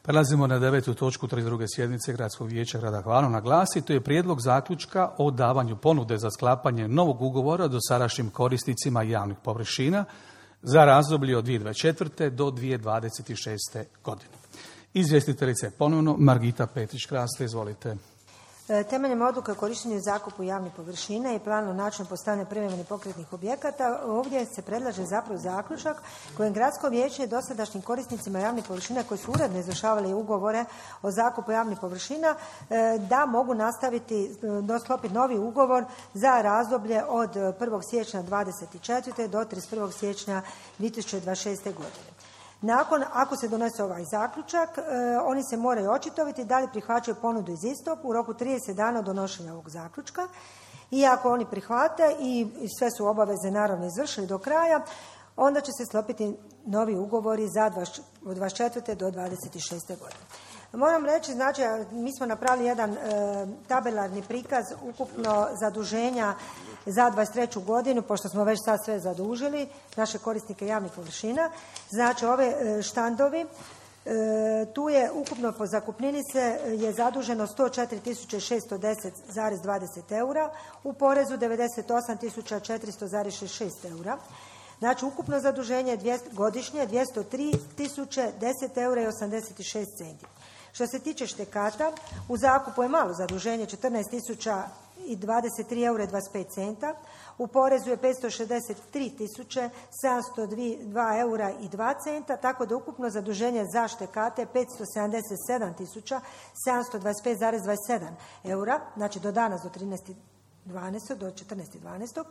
Prelazimo na 9. točku 32. sjednice Gradskog vijeća grada Hvar. Na glasi, to je prijedlog zaključka o davanju ponude za sklapanje novog ugovora dosadašnjim korisnicima javnih površina za razdoblje od 2024. do 2026. godine. Izvjestiteljica je ponovno Margita Petrić-Kraste, izvolite. Temeljem odluke o korištenju i zakupu javnih površina i planu načinu postavljanja privremenih pokretnih objekata, ovdje se predlaže zapravo zaključak kojim gradsko vijeće dosadašnjim korisnicima javnih površina koji su uredno izvršavali ugovore o zakupu javnih površina da mogu nastaviti sklopiti novi ugovor za razdoblje od 1. siječnja 2024. do 31. siječnja 2026. godine. Ako se donese ovaj zaključak, oni se moraju očitovati da li prihvaćaju ponudu iz istog u roku 30 dana od donošenja ovog zaključka. I ako oni prihvate i sve su obaveze naravno izvršili do kraja, onda će se sklopiti novi ugovori od 24. do 26. godine. Moram reći, znači, mi smo napravili jedan tabelarni prikaz ukupno zaduženja za 23. godinu, pošto smo već sad sve zadužili, naše korisnike javnih površina. Znači, ove štandovi, tu je ukupno po zakupnini je zaduženo 104.610,20 eura, u porezu 98.400,66 eura. Znači, ukupno zaduženje godišnje 203.010 eura i 86 centi. Što se tiče štekata, u zakupu je malo zaduženje 14.023 eura i 25 centa, u porezu je 563.702 eura i 2 centa, tako da ukupno zaduženje za štekate 577.725,27 eura, znači do danas do 14.12.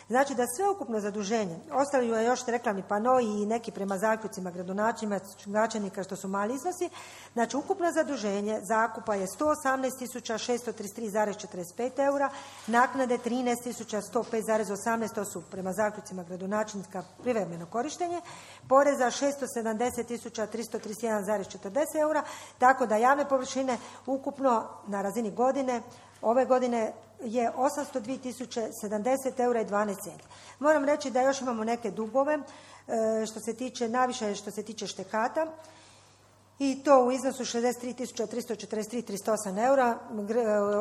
Znači da sve ukupno zaduženje, ostali je još reklamni panoi i neki prema zaključcima gradonačelnika što su mali iznosi, znači ukupno zaduženje zakupa je 118.633,45 eura, naknade 13.105,18, to su prema zaključcima gradonačelnika privremeno korištenje, poreza 670.331,40 eura, tako da javne površine ukupno na razini godine, ove godine je 802.070 eura i 12 centi. Moram reći da još imamo neke dugove, najviše što se tiče štekata, i to u iznosu 63.343,38 eura.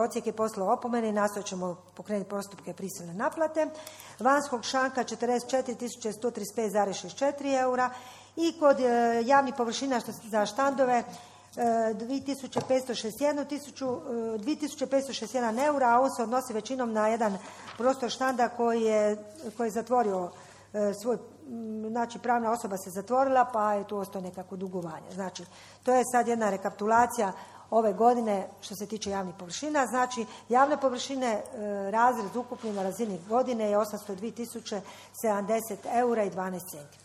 Odsjek je poslao opomene i nastojat ćemo pokrenuti postupke prisilne naplate. Vanjskog šanka 44.135,64 eura i kod javnih površina za štandove 2.561 eura, a on se odnosi većinom na jedan prostor štanda koji je zatvorio svoj, znači pravna osoba se zatvorila pa je tu ostao nekako dugovanje. Znači, to je sad jedna rekapitulacija ove godine što se tiče javnih površina. Znači, javne površine razred ukupni na razini godine je 802.070 eura i 12 centi.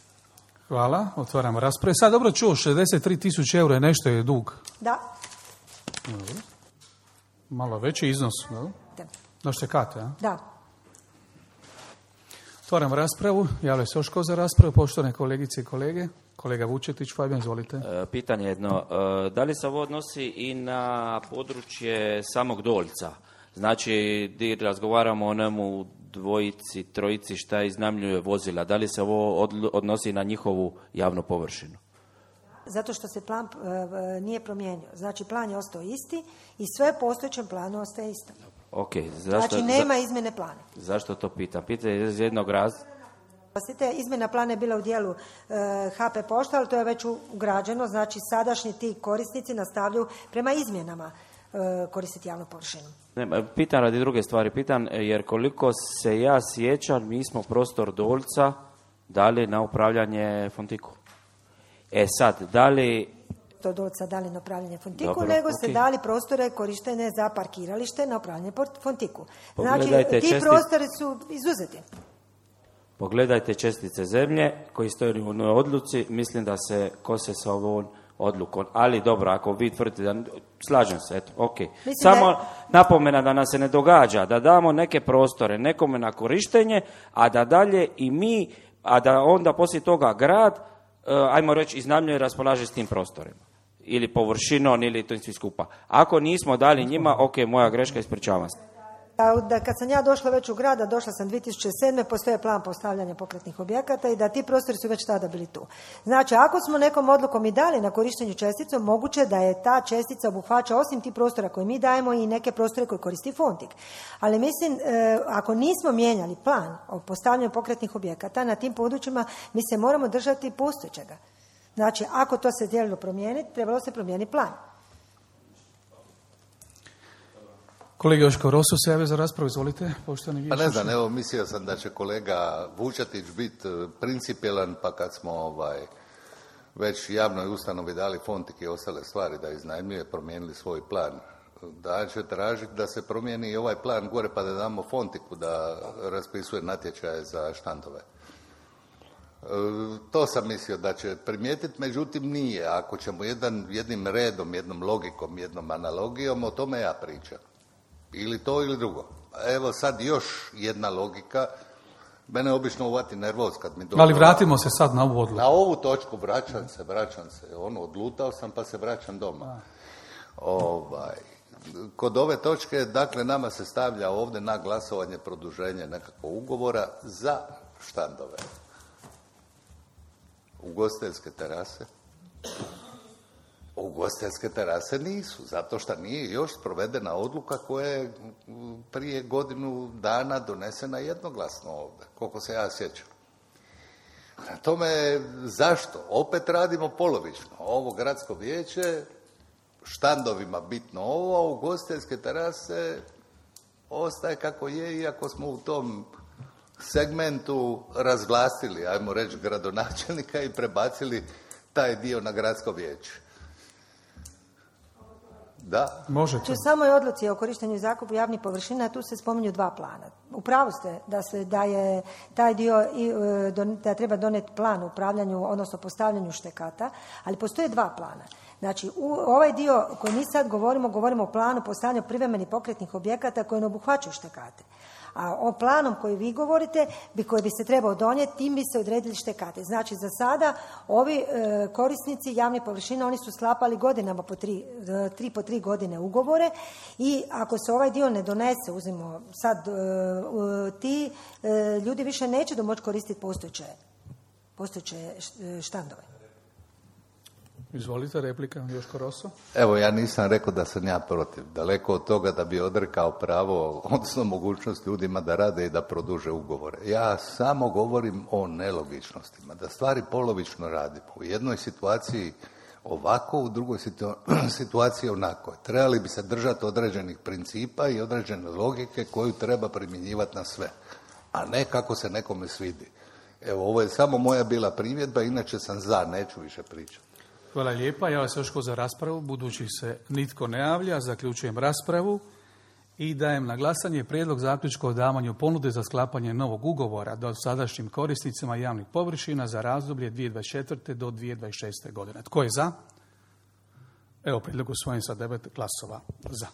Hvala, otvaramo rasprave. Sad dobro čuo, 63.000 eura je nešto je dug. Da. Dobro. Malo veći iznos, no? Na štekate, a? Da. Otvaram raspravu. Javlja se još ko za raspravu, poštovane kolegice i kolege. Kolega Vučetić, Fabijan, izvolite. Pitanje jedno. Da li se ovo odnosi i na područje samog Dolca? Znači, gdje razgovaramo o njemu dvojici, trojici šta iznajmljuje vozila. Da li se ovo odnosi na njihovu javnu površinu? Zato što se plan nije promijenio. Znači, plan je ostao isti i sve postojećem planu ostaje isto. Okay, znači, nema izmjene plana. Zašto to pitam? Pitam iz jednog razloga. Izmjena plana je bila u dijelu HP pošta, ali to je već ugrađeno. Znači, sadašnji ti korisnici nastavljaju prema izmjenama koristiti javnu površinu. Pitam radi druge stvari. Pitam jer koliko se ja sjećam, mi smo prostor Dolca dali na upravljanje Fontiku. Sad, da li... To Dolca dali na upravljanje Fontiku, nego se dali prostore korištene za parkiralište na upravljanje Fontiku. Znači, ti prostori su izuzeti. Pogledajte čestice zemlje koji stoji u odluci, mislim da se kose sa ovom odlukom. Ali dobro, ako vi tvrdite da... Slažem se, eto, ok. Samo napomena da nam se ne događa da damo neke prostore nekome na korištenje, a da dalje i mi, a da onda poslije toga grad, ajmo reći, iznajmljuje i raspolaže s tim prostorima. Ili površinom, ili to svi skupa. Ako nismo dali njima, ok, moja greška, ispričavam se. Da kad sam ja došla već u grad, a došla sam 2007. postoje plan postavljanja pokretnih objekata i da ti prostori su već tada bili tu. Znači, ako smo nekom odlukom i dali na korištenju česticom, moguće da je ta čestica obuhvaća osim tih prostora koje mi dajemo i neke prostore koje koristi Fontik. Ali mislim, ako nismo mijenjali plan o postavljanju pokretnih objekata na tim područjima, mi se moramo držati postojećega. Znači, ako to se htjelo promijeniti, trebalo se promijeniti plan. Kolega Joško Rosu se javio za raspravu, izvolite, poštovani Pa vijećniče. ne znam, evo mislio sam da će kolega Vučetić biti principijelan, pa kad smo već javnoj ustanovi dali Fontik i ostale stvari da iznajmljuje, promijenili svoj plan, da će tražiti da se promijeni i ovaj plan gore pa da damo Fontiku da raspisuje natječaje za štandove. To sam mislio da će primijetiti, međutim nije. Ako ćemo jednim redom, jednom logikom, jednom analogijom, o tome ja pričam. Ili to ili drugo. Evo sad još jedna logika. Mene obično uvati nervoz kad mi dođe. Ali vratimo se sad na ovu odluku. Na ovu točku vraćam se. Odlutao sam pa se vraćam doma. Kod ove točke, dakle, nama se stavlja ovdje na glasovanje produženje nekakvog ugovora za štandove. Ugostiteljske terase. Ugostiteljske terase nisu, zato što nije još provedena odluka koja je prije godinu dana donesena jednoglasno ovdje, koliko se ja sjećam. Na tome, zašto? Opet radimo polovično. Ovo gradsko vijeće, štandovima bitno ovo, a ugostiteljske terase ostaje kako je, iako smo u tom segmentu razvlastili, ajmo reći, gradonačelnika i prebacili taj dio na gradsko vijeće. Da. Možete. U samoj odluci o korištenju i zakupu javnih površina tu se spominju dva plana. U pravu ste da je taj dio da treba doneti plan o upravljanju, odnosno postavljanju štekata, ali postoje dva plana. Znači, ovaj dio koji mi sad govorimo o planu postavljanja privremenih pokretnih objekata koji ne obuhvaćaju štekate. A o planom koji vi govorite, koji bi se trebao donijeti, tim bi se odredili štekate. Znači, za sada ovi korisnici javnih površina, oni su sklapali godinama po 3 godine ugovore i ako se ovaj dio ne donese, uzmimo sad, ti ljudi više neće moći koristiti postojeće štandove. Izvolite, replika, Joško Roso. Evo, ja nisam rekao da sam ja protiv. Daleko od toga da bi odrekao pravo, odnosno mogućnost ljudima da rade i da produže ugovore. Ja samo govorim o nelogičnostima, da stvari polovično radimo. U jednoj situaciji ovako, u drugoj situaciji onako. Trebali bi se držati određenih principa i određene logike koju treba primjenjivati na sve, a ne kako se nekome svidi. Evo, ovo je samo moja bila primjedba, inače sam za, neću više pričati. Hvala lijepa. Ja vas još za raspravu. Budući se nitko ne javlja, zaključujem raspravu i dajem na glasanje prijedlog zaključka o davanju ponude za sklapanje novog ugovora dosadašnjim korisnicima javnih površina za razdoblje 2024. do 2026. godine. Tko je za? Evo, prijedlog usvojen sa 9 glasova za.